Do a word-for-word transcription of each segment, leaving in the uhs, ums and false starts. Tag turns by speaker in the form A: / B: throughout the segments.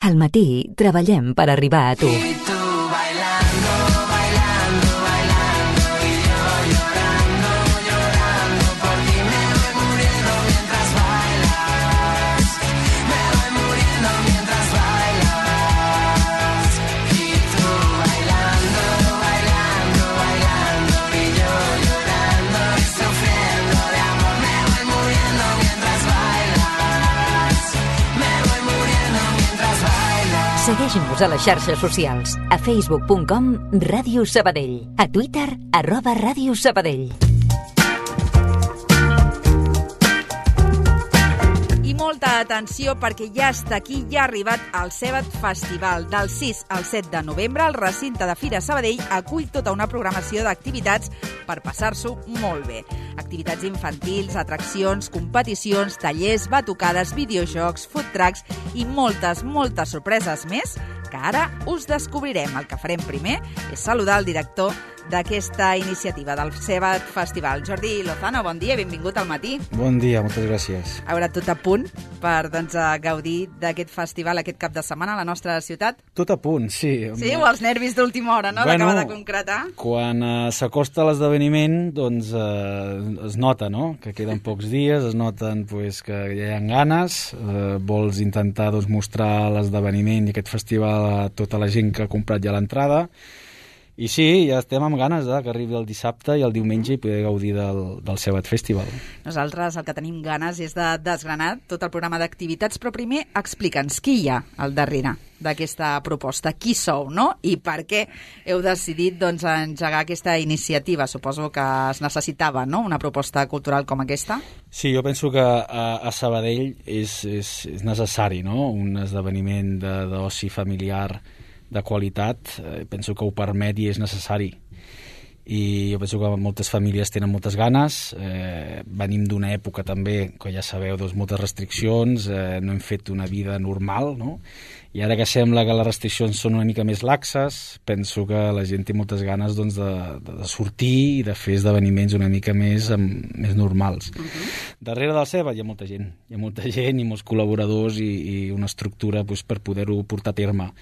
A: Al matí treballem per arribar a tu. Segueix-nos a les xarxes socials, a facebook punt com Ràdio Sabadell, a Twitter, arroba Ràdio Sabadell.
B: I molta atenció perquè ja està aquí, ja ha arribat el Cebat Festival. Del sis al set de novembre, el recinte de Fira Sabadell acull tota una programació d'activitats per passar-s'ho molt bé. Activitats infantils, atraccions, competicions, tallers, batucades, videojocs, food trucks i moltes, moltes sorpreses més que ara us descobrirem. El que farem primer és saludar el director d'aquesta iniciativa del Cebat Festival. Jordi Lozano, bon dia i benvingut al matí.
C: Bon dia, moltes gràcies.
B: A veure, tot a punt per doncs, gaudir d'aquest festival aquest cap de setmana a la nostra ciutat?
C: Tot a punt, sí.
B: Sí, o els nervis d'última hora, no?,
C: bueno,
B: d'acabar de concretar.
C: Quan uh, s'acosta l'esdeveniment, doncs uh, es nota, no?, que queden pocs dies, es noten pues, que ja hi ha ganes, uh, vols intentar doncs, mostrar l'esdeveniment i aquest festival a tota la gent que ha comprat ja l'entrada. I sí, ja estem amb ganes eh, que arribi el dissabte i el diumenge i poder gaudir del, del Cebat Festival. Nosaltres
B: el que tenim ganes és de desgranar tot el programa d'activitats, però primer explica'ns qui hi ha al darrere d'aquesta proposta, qui sou, no? I per què heu decidit doncs, engegar aquesta iniciativa? Suposo que es necessitava, no?, una proposta cultural com aquesta.
C: Sí, jo penso que a, a Sabadell és, és, és necessari, no?, un esdeveniment d'oci familiar de qualitat, eh, penso que ho permet i és necessari. I jo penso que moltes famílies tenen moltes ganes, eh, venim d'una època també, que ja sabeu, doncs, moltes restriccions, eh, no hem fet una vida normal, no? I ara que sembla que les restriccions són una mica més laxes, penso que la gent té moltes ganes doncs, de, de, de sortir i de fer esdeveniments una mica més, amb, més normals. Uh-huh. Darrere del Cebat hi ha molta gent, hi ha molta gent i molts col·laboradors i, i una estructura doncs, per poder-ho portar a terme.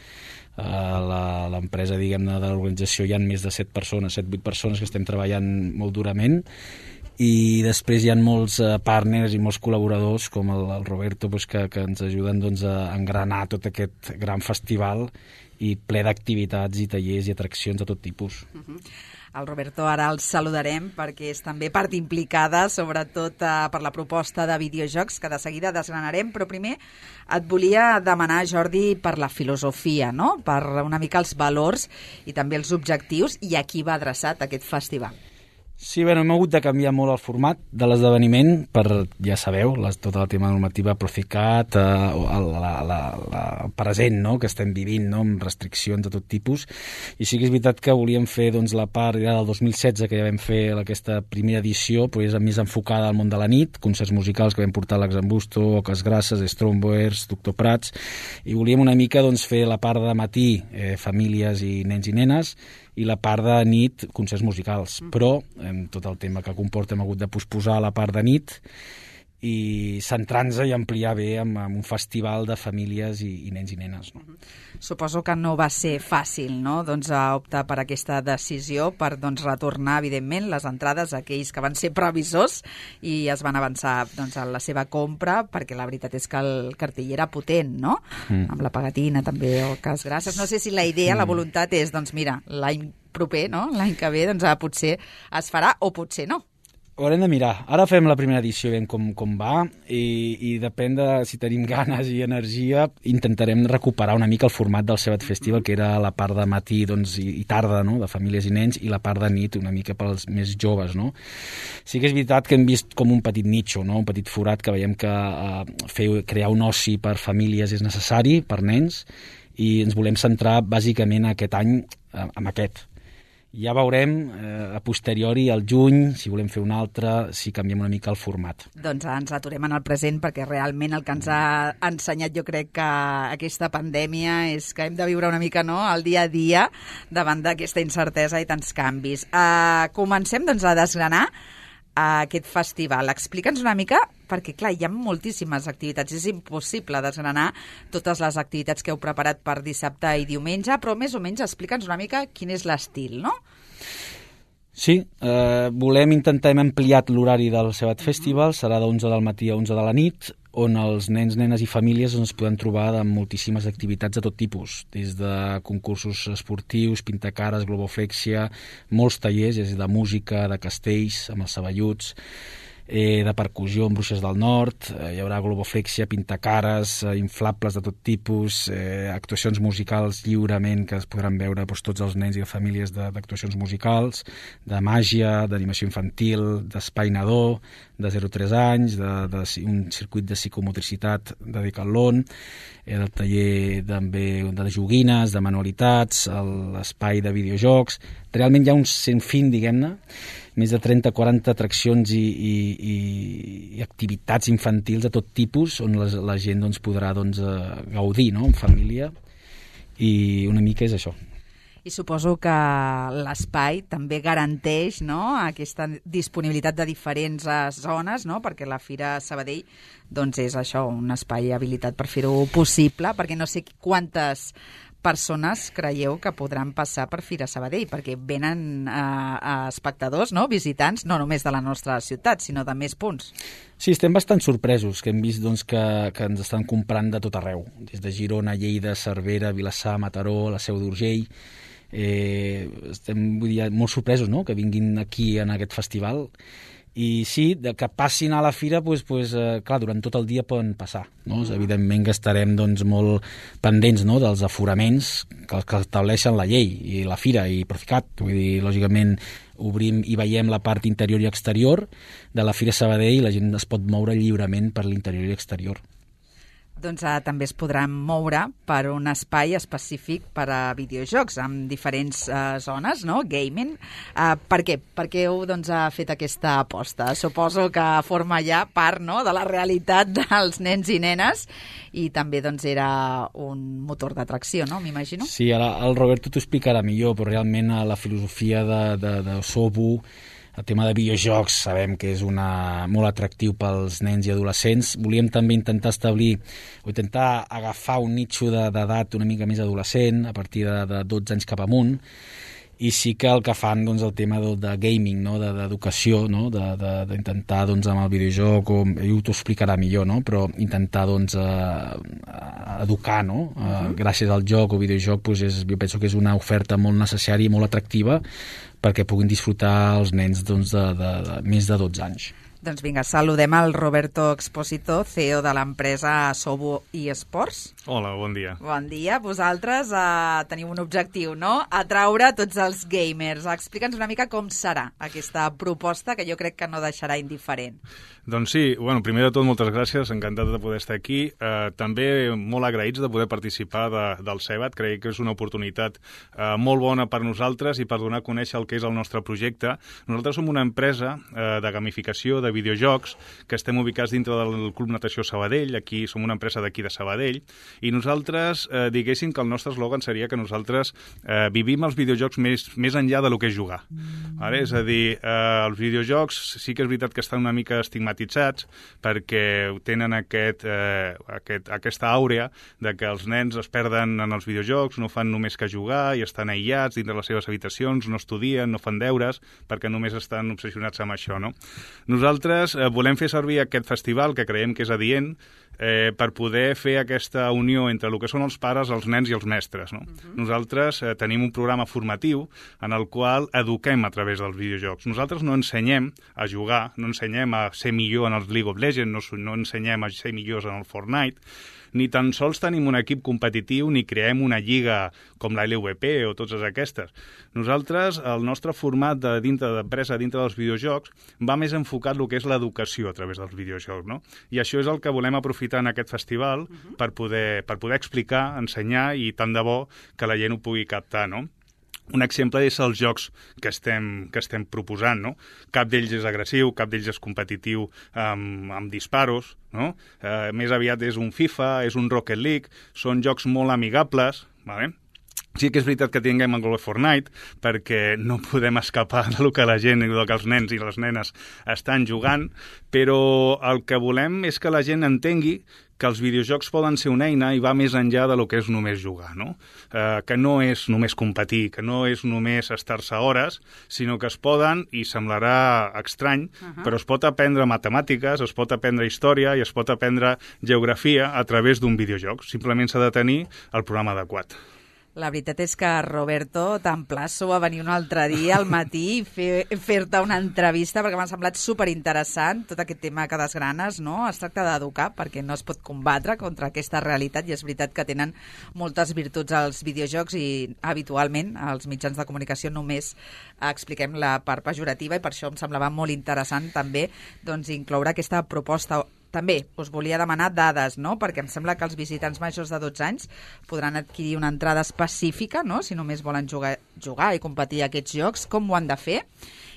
C: A l'empresa, diguem-ne, de l'organització hi ha més de set persones, set vuit persones que estem treballant molt durament, i després hi ha molts partners i molts col·laboradors com el, el Roberto doncs, que, que ens ajuden doncs, a engranar tot aquest gran festival i ple d'activitats i tallers i atraccions de tot tipus.
B: Uh-huh. El Roberto ara el saludarem perquè és també part implicada, sobretot eh, per la proposta de videojocs que de seguida desgranarem, però primer et volia demanar, Jordi, per la filosofia, no?, per una mica els valors i també els objectius i a qui va adreçat aquest festival.
C: Sí, bé, hem hagut de canviar molt el format de l'esdeveniment per, ja sabeu, les, tota la tema normativa Procicat, eh, el, la, la, la, el present no?, que estem vivint, no?, amb restriccions de tot tipus. I sí que és veritat que volíem fer doncs, la part ja del dos mil setze, que ja vam fer aquesta primera edició, però és més enfocada al món de la nit, concerts musicals que vam portar l'Exambusto, Oques Grasses, Stromboers, Doctor Prats, i volíem una mica doncs, fer la part de matí, eh, famílies i nens i nenes, i la part de nit, concerts musicals. Mm. Però, amb tot el tema que comporta, hem hagut de posposar la part de nit i centrar-nos i ampliar bé amb, amb un festival de famílies i, i nens i nenes. No?
B: Suposo que no va ser fàcil, no?, doncs, optar per aquesta decisió, per doncs, retornar, evidentment, les entrades a aquells que van ser previsors i es van avançar doncs, a la seva compra, perquè la veritat és que el cartell era potent, no?, mm. amb la pegatina també, o Oques Grasses. No sé si la idea, mm. la voluntat és, doncs mira, l'any proper, no?, l'any que ve, doncs potser es farà o potser no.
C: Ho haurem de mirar. Ara fem la primera edició, veiem com, com va, i, i depèn de si tenim ganes i energia, intentarem recuperar una mica el format del Cebat Festival, que era la part de matí doncs, i, i tarda, no?, de famílies i nens, i la part de nit una mica pels més joves. No? Sí que és veritat que hem vist com un petit nicho, no?, un petit forat, que veiem que uh, fer, crear un oci per famílies és necessari, per nens, i ens volem centrar bàsicament aquest any uh, amb aquest. Ja veurem eh, a posteriori, al juny, si volem fer un altre, si canviem una mica el format.
B: Doncs ens aturem en el present perquè realment el que ens ha ensenyat jo crec que aquesta pandèmia és que hem de viure una mica no, el dia a dia davant d'aquesta incertesa i tants canvis. Uh, comencem doncs, a desgranar uh, aquest festival. Explica'ns una mica perquè, clar, hi ha moltíssimes activitats. És impossible desgranar totes les activitats que heu preparat per dissabte i diumenge, però més o menys explica'ns una mica quin és l'estil, no?
C: Sí, eh, volem intentar, hem ampliat l'horari del Cebat Festival, serà d'onze del matí a onze de la nit, on els nens, nenes i famílies es poden trobar de moltíssimes activitats de tot tipus, des de concursos esportius, pintacares, globoflexia, molts tallers, és de música, de castells, amb els saballuts, eh, de percussió amb Bruixes del Nord, eh, hi haurà globoflexia, pintacares, eh, inflables de tot tipus, eh, actuacions musicals lliurement que es podran veure doncs, tots els nens i les famílies d'actuacions musicals, de màgia, d'animació infantil, d'espai nadó, de zero a tres anys, de, de, un circuit de psicomotricitat de Decathlon, eh, del taller també de joguines, de manualitats, l'espai de videojocs. Realment hi ha un sinfín, diguem-ne, més de trenta a quaranta atraccions i, i, i, i activitats infantils de tot tipus on la, la gent doncs, podrà doncs, gaudir, no?, en família, i una mica és això.
B: I suposo que l'espai també garanteix, no?, aquesta disponibilitat de diferents zones, no?, perquè la Fira Sabadell doncs, és això, un espai habilitat per fer-ho possible, perquè no sé quantes persones creieu que podran passar per Fira Sabadell, perquè venen a, a espectadors, no?, visitants, no només de la nostra ciutat, sinó de més punts.
C: Sí, estem bastant sorpresos, que hem vist doncs, que, que ens estan comprant de tot arreu, des de Girona, Lleida, Cervera, Vilassar, Mataró, la Seu d'Urgell. Eh, estem vull dir, molt sorpresos, no?, que vinguin aquí en aquest festival. I sí, de que passin a la fira, doncs, doncs, eh, clar, durant tot el dia poden passar. No? Evidentment que estarem doncs, molt pendents, no?, dels aforaments que, que estableixen la llei i la fira i Proficat. Vull dir, lògicament, obrim i veiem la part interior i exterior de la Fira Sabadell i la gent es pot moure lliurement per l'interior i exterior.
B: Doncs eh, també es podran moure per un espai específic per a videojocs, amb diferents eh, zones, no?, gaming. Eh, per què? Per què heu doncs, ha fet aquesta aposta? Suposo que forma ja part, no?, de la realitat dels nens i nenes i també doncs, era un motor d'atracció, no?, m'imagino.
C: Sí, ara el Roberto t'ho explicarà millor, però realment la filosofia de, de, de Sobu, el tema de videojocs, sabem que és una, molt atractiu pels nens i adolescents. Volíem també intentar establir o intentar agafar un nitxo d'edat una mica més adolescent, a partir de, de dotze anys cap amunt, i sí que el que fan doncs, el tema de, de gaming, no?, d'educació, no?, d'intentar doncs, amb el videojoc, o, ell t'ho explicarà millor, no?, però intentar doncs, eh, educar, no?, uh -huh. eh, gràcies al joc o videojoc, doncs, és, jo penso que és una oferta molt necessària i molt atractiva perquè puguin disfrutar els nens doncs, de, de, de més de dotze anys.
B: Doncs vinga, saludem al Roberto Exposito, C E O de l'empresa Sobu eSports.
D: Hola, bon dia.
B: Bon dia. Vosaltres eh, teniu un objectiu, no?, atraure tots els gamers. Explica'ns una mica com serà aquesta proposta, que jo crec que no deixarà indiferent.
D: Doncs sí, bueno, primer de tot, moltes gràcies, encantat de poder estar aquí. Eh, també molt agraïts de poder participar de, del Cebat, crec que és una oportunitat eh, molt bona per nosaltres i per donar a conèixer el que és el nostre projecte. Nosaltres som una empresa eh, de gamificació, de videojocs, que estem ubicats dintre del Club Natació Sabadell, aquí som una empresa d'aquí de Sabadell, i nosaltres eh, diguéssim que el nostre eslògan seria que nosaltres eh, vivim els videojocs més, més enllà de lo que és jugar. Mm. Vale? És a dir, eh, els videojocs sí que és veritat que estan una mica estigmatitzats perquè tenen aquest, eh, aquest, aquesta àurea de que els nens es perden en els videojocs, no fan només que jugar i estan aïllats dintre les seves habitacions, no estudien, no fan deures, perquè només estan obsessionats amb això, no? Nosaltres eh, volem fer servir aquest festival, que creiem que és adient, eh, per poder fer aquesta unió entre el que són els pares, els nens i els mestres, no? Uh-huh. Nosaltres eh, tenim un programa formatiu en el qual eduquem a través dels videojocs. Nosaltres no ensenyem a jugar, no ensenyem a ser millor en els League of Legends, no, no ensenyem a ser millors en el Fortnite, ni tan sols tenim un equip competitiu ni creem una lliga com la L V P o totes aquestes. Nosaltres, el nostre format de dintre d'empresa, dintre dels videojocs, va més enfocat el que és l'educació a través dels videojocs, no? I això és el que volem aprofitar en aquest festival uh-huh. per, poder, per poder explicar, ensenyar i tant de bo que la gent ho pugui captar, no? Un exemple és els jocs que estem, que estem proposant, no? Cap d'ells és agressiu, cap d'ells és competitiu amb, amb disparos, no? Eh, més aviat és un FIFA, és un Rocket League, són jocs molt amigables, vale? Sí que és veritat que tinguem el Global Fortnite, perquè no podem escapar del que la gent i del que els nens i les nenes estan jugant, però el que volem és que la gent entengui que els videojocs poden ser una eina i va més enllà de lo que és només jugar, no? Eh, que no és només competir, que no és només estar-se hores, sinó que es poden, i semblarà estrany, uh-huh. però es pot aprendre matemàtiques, es pot aprendre història i es pot aprendre geografia a través d'un videojoc. Simplement s'ha de tenir el programa adequat.
B: La veritat és que, Roberto, t'emplaço a venir un altre dia al matí i fer, fer-te una entrevista, perquè m'ha semblat superinteressant tot aquest tema que desgranes, no? Es tracta d'educar, perquè no es pot combatre contra aquesta realitat, i és veritat que tenen moltes virtuts als videojocs i habitualment als mitjans de comunicació només expliquem la part pejorativa, i per això em semblava molt interessant també doncs, incloure aquesta proposta. També us volia demanar dades, no? Perquè em sembla que els visitants majors de dotze anys podran adquirir una entrada específica, no? Si només volen jugar, jugar i competir a aquests jocs, com ho han de fer?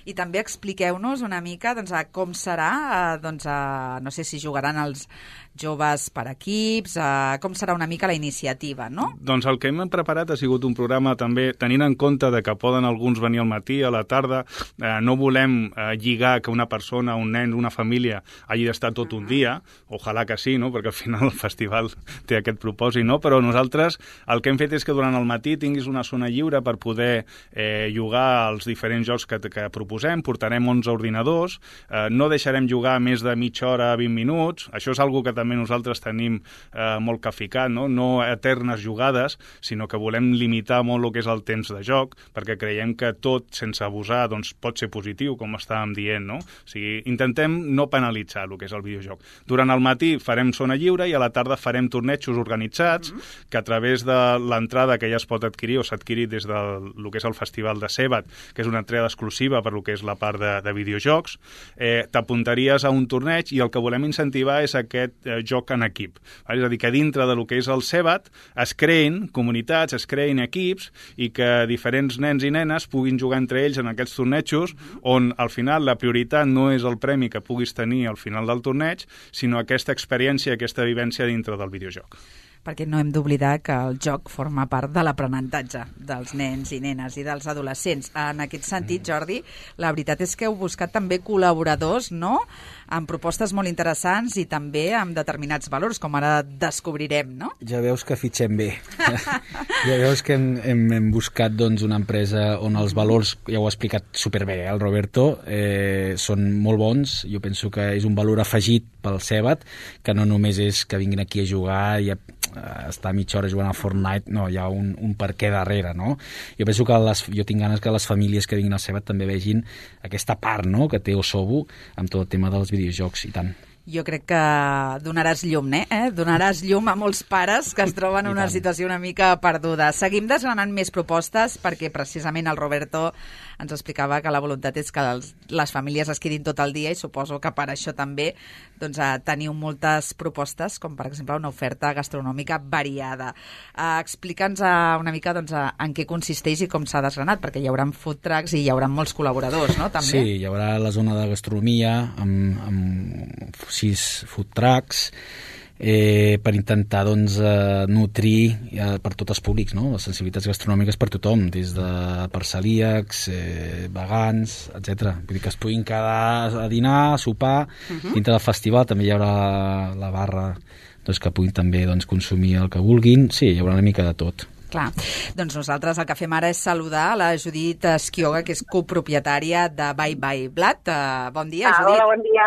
B: I també expliqueu-nos una mica doncs, a com serà, a, doncs, a, no sé si jugaran els joves per equips, a, com serà una mica la iniciativa, no?
D: Doncs el que hem preparat ha sigut un programa també tenint en compte de que poden alguns venir al matí, a la tarda, eh, no volem eh, lligar que una persona, un nen, una família hagi d'estar tot un dia, ojalà que sí, no? Perquè al final el festival té aquest propòsit, no? Però nosaltres el que hem fet és que durant el matí tinguis una zona lliure per poder eh, jugar als diferents jocs que, que proposem, portarem onze ordinadors, eh, no deixarem jugar més de mitja hora, vint minuts, això és algo que també nosaltres tenim eh, molt caficat, no? No eternes jugades, sinó que volem limitar molt el que és el temps de joc, perquè creiem que tot, sense abusar, doncs, pot ser positiu, com estàvem dient, no? O sigui, intentem no penalitzar el que és el videojoc. Durant el matí farem zona lliure i a la tarda farem tornejos organitzats, mm-hmm. que a través de l'entrada que ja es pot adquirir o s'ha adquirit des del que és el Festival de Sebat, que és una entrada exclusiva per lo que és la part de, de videojocs, eh, t'apuntaries a un torneig i el que volem incentivar és aquest eh, joc en equip. És a dir, que dintre de lo que és el Sebat es creïn comunitats, es creïn equips i que diferents nens i nenes puguin jugar entre ells en aquests tornejos on al final la prioritat no és el premi que puguis tenir al final del torneig, sinó aquesta experiència, aquesta vivència dintre del videojoc.
B: Perquè no hem d'oblidar que el joc forma part de l'aprenentatge dels nens i nenes i dels adolescents. En aquest sentit, Jordi, la veritat és que heu buscat també col·laboradors, no?, amb propostes molt interessants i també amb determinats valors, com ara descobrirem, no?
C: Ja veus que fitxem bé. Ja veus que hem, hem, hem buscat doncs, una empresa on els valors, ja ho ha explicat superbé, eh, el Roberto, eh, són molt bons. Jo penso que és un valor afegit pel Sebat, que no només és que vinguin aquí a jugar i a estar mitja hora jugant a Fortnite, no, hi ha un, un per què darrere, no? Jo penso que les, jo tinc ganes que les famílies que vinguin al Sebat també vegin aquesta part, no?, que té Osobu amb tot el tema dels videojocs, i tant.
B: Jo crec que donaràs llum, eh? Donaràs llum a molts pares que es troben en una situació una mica perduda. Seguim desgranant més propostes perquè precisament el Roberto ens explicava que la voluntat és que els, les famílies es quedin tot el dia i suposo que per això també doncs, teniu moltes propostes, com per exemple una oferta gastronòmica variada. Uh, Explica'ns uh, una mica doncs, uh, en què consisteix i com s'ha desgranat, perquè hi haurà food trucks i hi haurà molts col·laboradors, no? També?
C: Sí, hi haurà la zona de gastronomia amb, amb sis food trucks, eh, per intentar doncs, eh, nutrir eh, per tots els públics, no?, les sensibilitats gastronòmiques per tothom, des de per celíacs, eh, vegans, etcètera. Vull dir que es puguin quedar a dinar, a sopar, uh-huh. dintre del festival també hi haurà la, la barra doncs, que puguin també doncs, consumir el que vulguin. Sí, hi haurà una mica de tot.
B: Clar, doncs nosaltres el que fem ara és saludar la Judit Esquioga, que és copropietària de Bye Bye Blood. Uh, bon dia,
E: ah,
B: Judit.
E: Hola, bon dia.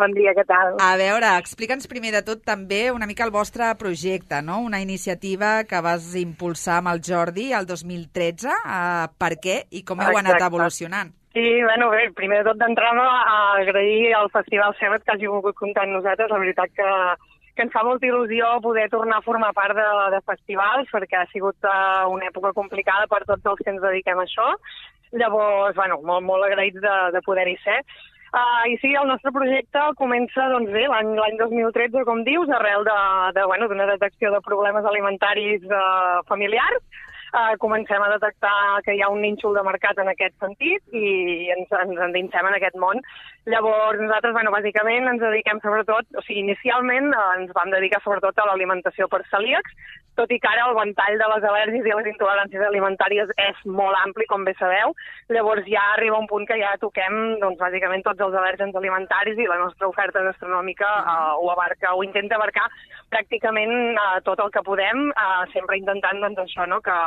E: Bon dia, què tal?
B: A veure, explica'ns primer de tot també una mica el vostre projecte, no? Una iniciativa que vas impulsar amb el Jordi el dos mil tretze. Uh, per què i com heu
E: Exacte.
B: anat evolucionant?
E: Sí, bueno, bé, primer de tot d'entrada agrair al Festival Sebat que hagi volgut comptar amb nosaltres. La veritat que que ens fa molta il·lusió poder tornar a formar part de, de festivals, perquè ha sigut uh, una època complicada per tots els que ens dediquem a això. Llavors, bueno, molt, molt agraïts de, de poder-hi ser. Uh, I sí, el nostre projecte comença doncs, bé, l'any dos mil tretze, com dius, arrel de, de, bueno, d'una detecció de problemes alimentaris uh, familiars. uh, comencem a detectar que hi ha un nínxol de mercat en aquest sentit i ens, ens endinsem en aquest món. Llavors, nosaltres, bueno, bàsicament ens dediquem sobretot, o sigui, inicialment eh, ens vam dedicar sobretot a l'alimentació per celíacs, tot i que ara el ventall de les al·lèrgies i les intoleràncies alimentàries és molt ampli, com bé sabeu. Llavors ja arriba un punt que ja toquem, doncs, bàsicament tots els al·lèrgens alimentaris i la nostra oferta gastronòmica eh, ho abarca, ho intenta abarcar pràcticament eh, tot el que podem, eh, sempre intentant, doncs, això, no?, que,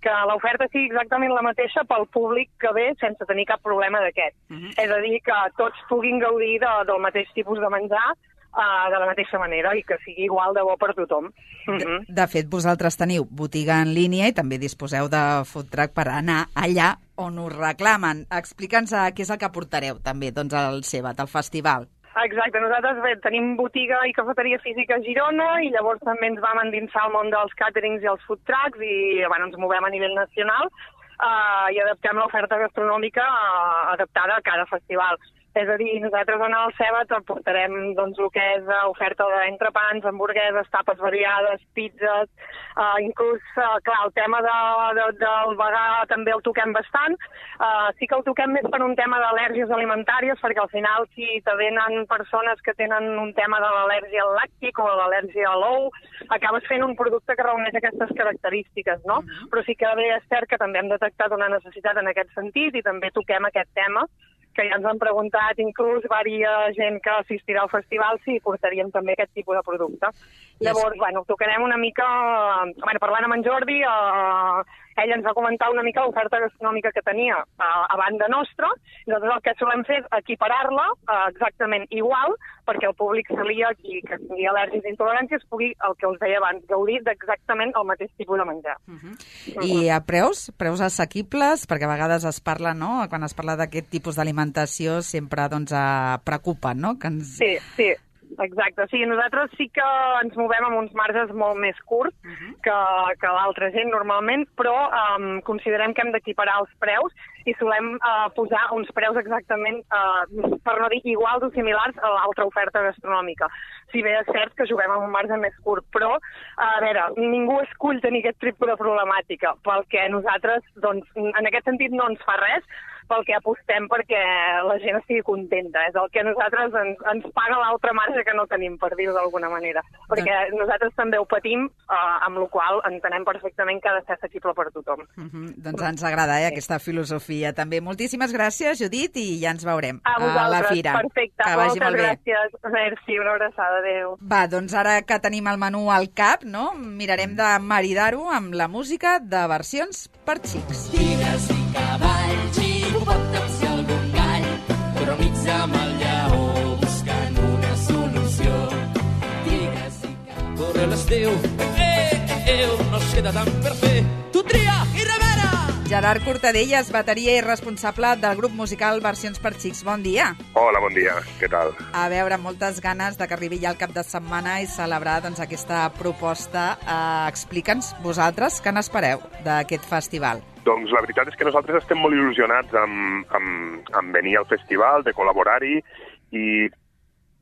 E: que l'oferta sigui exactament la mateixa pel públic que ve sense tenir cap problema d'aquest. Uh-huh. És a dir, que tots puguin gaudir de, del mateix tipus de menjar uh, de la mateixa manera i que sigui igual de bo per tothom. Uh-huh.
B: De, de fet, vosaltres teniu botiga en línia i també disposeu de food truck per anar allà on us reclamen. Explica'ns uh, què és el que portareu també doncs, al Cebat, al festival.
E: Exacte, nosaltres bé, tenim botiga i cafeteria física a Girona i llavors també ens vam endinsar al món dels càterings i els food trucks i bueno, ens movem a nivell nacional uh, i adaptem l'oferta gastronòmica uh, adaptada a cada festival. És a dir, nosaltres en el Cebat portarem doncs, el que és oferta d'entrepans, hamburgueses, tapes variades, pizzas, uh, inclús, uh, clar, el tema de, de, del vegà també el toquem bastant. Uh, sí que el toquem més per un tema d'al·lèrgies alimentàries, perquè al final si te venen persones que tenen un tema de l'al·lèrgia al làctic o l'al·lèrgia a l'ou, acabes fent un producte que reuneix aquestes característiques, no? Mm-hmm. Però sí que bé és cert que també hem detectat una necessitat en aquest sentit i també toquem aquest tema, que ja ens han preguntat, inclús varia gent que assistirà al festival, si portaríem també aquest tipus de producte. Yes. Llavors, bueno, tocarem una mica, bueno, parlant amb en Jordi, eh, ell ens va comentar una mica l'oferta gastronòmica que tenia eh, a banda nostra. Nosaltres el que solem fer és equiparar-la eh, exactament igual, perquè el públic celíac i que tingui al·lèrgies i intoleràncies pugui, el que us deia abans, gaudir d'exactament el mateix tipus de menjar. Uh -huh. Uh -huh.
B: I a preus? Preus assequibles? Perquè a vegades es parla, no?, quan es parla d'aquest tipus d'alimentació sempre doncs, eh, preocupa, no? Que ens...
E: Sí, sí. Exacte, sí, nosaltres sí que ens movem amb uns marges molt més curts uh-huh. que, que l'altra gent normalment, però um, considerem que hem d'equiparar els preus i solem uh, posar uns preus exactament, uh, per no dir iguals o similars a l'altra oferta gastronòmica. Si bé és cert que juguem amb un marge més curt, però, a veure, ningú escull tenir aquest tipus de problemàtica, pel que nosaltres, doncs, en aquest sentit no ens fa res, pel que apostem perquè la gent estigui contenta. És el que nosaltres ens, ens paga l'altra marge que no tenim, per dir-ho d'alguna manera. Perquè doncs... nosaltres també ho patim, eh, amb la qual cosa entenem perfectament que ha de ser accessible per tothom.
B: Uh-huh. Doncs ens agrada eh, sí. aquesta filosofia també. Moltíssimes gràcies, Judit, i ja ens veurem
E: a, a
B: la fira.
E: Perfecte,
B: que vagi
E: moltes
B: molt bé.
E: gràcies. Merci, una abraçada, adéu.
B: Va, doncs ara que tenim el menú al cap, no? Mirarem de maridar-ho amb la música de versions per xics.
F: Tigres i cavalls i hipopòtams i algun gall, però amics amb el lleó buscant una solució. Tigres i cavalls... Corre l'estiu, eh, eh, no es queda tant per fer. Tu tria i revera!
B: Gerard Cortadellas, bateria i responsable del grup musical Versions per Xics. Bon dia.
G: Hola, bon dia. Què tal?
B: A veure, moltes ganes de que arribi ja el cap de setmana i celebrar doncs, aquesta proposta. Eh, Explica'ns, vosaltres, què n'espereu d'aquest festival?
G: Doncs la veritat és que nosaltres estem molt il·lusionats amb, amb, amb venir al festival, de col·laborar-hi i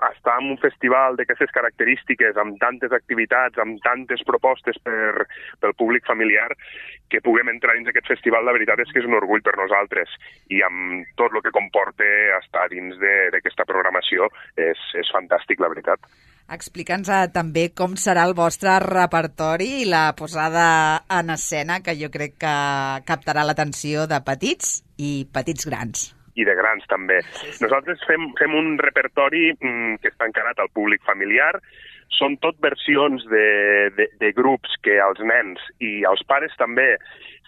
G: estar en un festival d'aquestes característiques, amb tantes activitats, amb tantes propostes per, pel públic familiar, que puguem entrar dins aquest festival, la veritat és que és un orgull per nosaltres. I amb tot el que comporta estar dins d'aquesta programació és, és fantàstic, la veritat.
B: Explica'ns eh, també com serà el vostre repertori i la posada en escena, que jo crec que captarà l'atenció de petits i petits grans.
G: I de grans també. Sí, sí. Nosaltres fem, fem un repertori mm, que està encarat al públic familiar. Són tot versions de, de, de grups que als nens i als pares també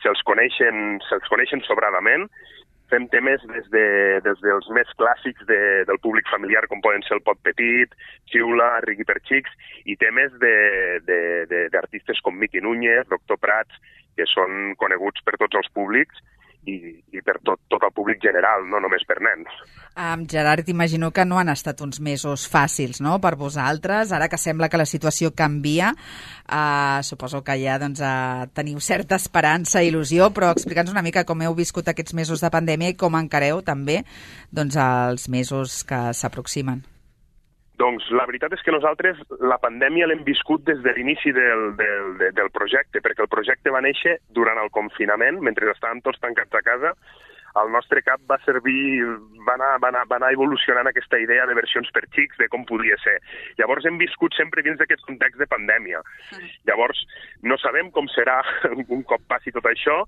G: se'ls coneixen, se'ls coneixen sobradament. Fem temes des, de, des dels més clàssics de, del públic familiar, com poden ser el Pot Petit, Xiula, Riqui per Xics, i temes d'artistes com Miqui Núñez, Doctor Prats, que són coneguts per tots els públics, i, i per tot, tot el públic general, no només per nens.
B: Um, Gerard, t'imagino que no han estat uns mesos fàcils, no?, per vosaltres. Ara que sembla que la situació canvia, uh, suposo que ja doncs, uh, teniu certa esperança i il·lusió, però explica'ns una mica com heu viscut aquests mesos de pandèmia i com encareu també doncs, els mesos que s'aproximen.
G: Doncs la veritat és que nosaltres la pandèmia l'hem viscut des de l'inici del, del, del projecte, perquè el projecte va néixer durant el confinament, mentre estàvem tots tancats a casa. El nostre cap va servir, va anar, va anar, va anar evolucionant aquesta idea de versions per xics, de com podia ser. Llavors hem viscut sempre dins d'aquest context de pandèmia. Llavors no sabem com serà un cop passi tot això,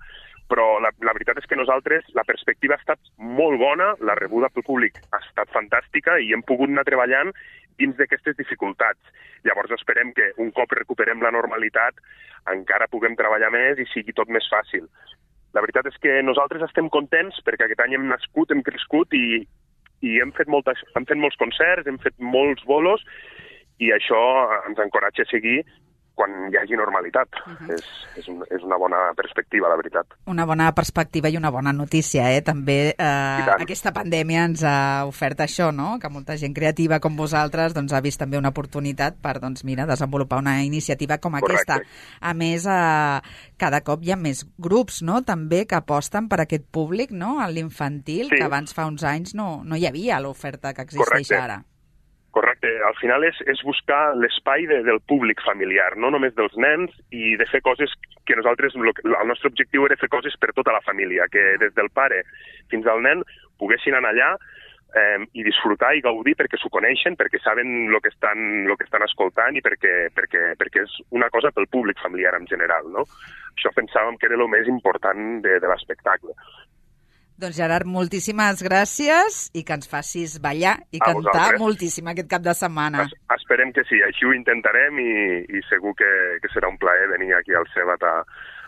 G: però la, la veritat és que nosaltres, la perspectiva ha estat molt bona, la rebuda pel públic ha estat fantàstica i hem pogut anar treballant dins d'aquestes dificultats. Llavors esperem que un cop recuperem la normalitat encara puguem treballar més i sigui tot més fàcil. La veritat és que nosaltres estem contents perquè aquest any hem nascut, hem crescut i, i hem, fet moltes, hem fet molts concerts, hem fet molts bolos i això ens encoratja a seguir quan hi hagi normalitat. Uh-huh. és, és, un, és una bona perspectiva, la veritat.
B: Una bona perspectiva i una bona notícia, eh? També eh, aquesta pandèmia ens ha ofert això, no? Que molta gent creativa com vosaltres doncs, ha vist també una oportunitat per doncs, mira, desenvolupar una iniciativa com aquesta. Correcte. A més, eh, cada cop hi ha més grups, no? També que aposten per aquest públic, no? En l'infantil, sí. Que abans fa uns anys no, no hi havia l'oferta que existeix
G: Correcte.
B: Ara.
G: Correcte. Al final és, és buscar l'espai de, del públic familiar, no només dels nens, i de fer coses que nosaltres, el nostre objectiu era fer coses per tota la família, que des del pare fins al nen poguessin anar allà eh, i disfrutar i gaudir perquè s'ho coneixen, perquè saben el que estan, lo que estan escoltant i perquè, perquè, perquè és una cosa pel públic familiar en general, no? Això pensàvem que era el més important de, de l'espectacle.
B: Doncs Gerard, moltíssimes gràcies i que ens facis ballar i
G: a
B: cantar
G: vosaltres.
B: Moltíssim aquest cap de setmana.
G: Es, esperem que sí, així ho intentarem i, i segur que, que serà un plaer venir aquí al Sebat a,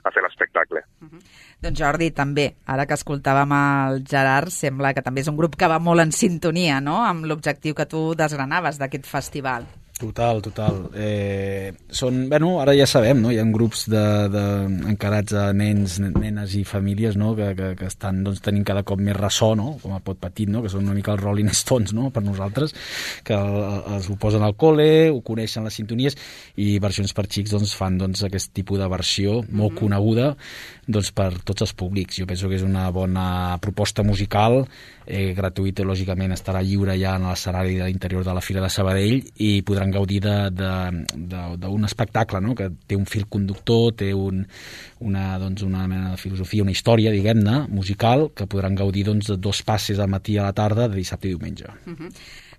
G: a fer l'espectacle.
B: Uh-huh. Doncs Jordi, també, ara que escoltàvem el Gerard, sembla que també és un grup que va molt en sintonia, no?, amb l'objectiu que tu desgranaves d'aquest festival.
C: Total, total. Eh, són, bueno, ara ja sabem, no? Hi ha grups de, de, encarats a nens, nenes i famílies, no? que, que, que estan doncs, tenint cada cop més ressò, no? Com a pot petit, no? Que són una mica els Rolling Stones, no? Per nosaltres, que el, els ho posen al col·le, ho coneixen les sintonies, i versions per xics doncs, fan doncs, aquest tipus de versió molt mm-hmm. coneguda doncs, per tots els públics. Jo penso que és una bona proposta musical, eh, gratuïta, lògicament estarà lliure ja en l'escenari de l'interior de la Fira de Sabadell i podran gaudir d'un espectacle, no? Que té un fil conductor, té un, una, doncs, una mena de filosofia, una història, diguem-ne, musical, que podran gaudir doncs, de dos passes al matí a la tarda de dissabte i diumenge.
B: Uh-huh.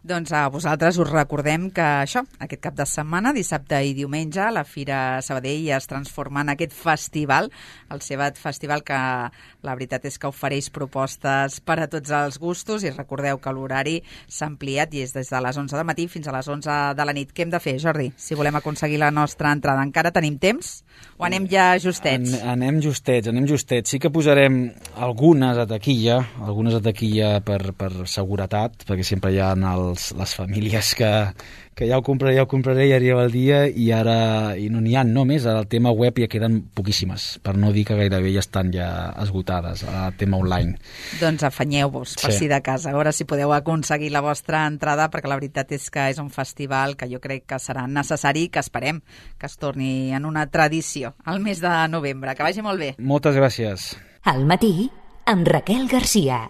B: Doncs a vosaltres us recordem que això, aquest cap de setmana, dissabte i diumenge, la Fira Sabadell es transforma en aquest festival, el Sebat Festival, que la veritat és que ofereix propostes per a tots els gustos, i recordeu que l'horari s'ha ampliat i és des de les onze del matí fins a les onze de la nit. Què hem de fer, Jordi, si volem aconseguir la nostra entrada? Encara tenim temps o anem ja justets?
C: En, anem justets, anem justets. Sí que posarem algunes a taquilla, algunes a taquilla per, per seguretat, perquè sempre hi ha els, les famílies que, que ja ho compraré, ja ho compraré, i arriba el dia i ara i no n'hi ha només. Al tema web ja queden poquíssimes, per no dir que gairebé ja estan ja esgotades, al tema online.
B: Doncs afanyeu-vos per sí. si de casa, a veure si podeu aconseguir la vostra entrada, perquè la veritat és que és un festival que jo crec que serà necessari, que esperem que es torni en una tradició al mes de novembre. Que vagi molt bé.
C: Moltes gràcies.
A: Al matí, amb Raquel Garcia.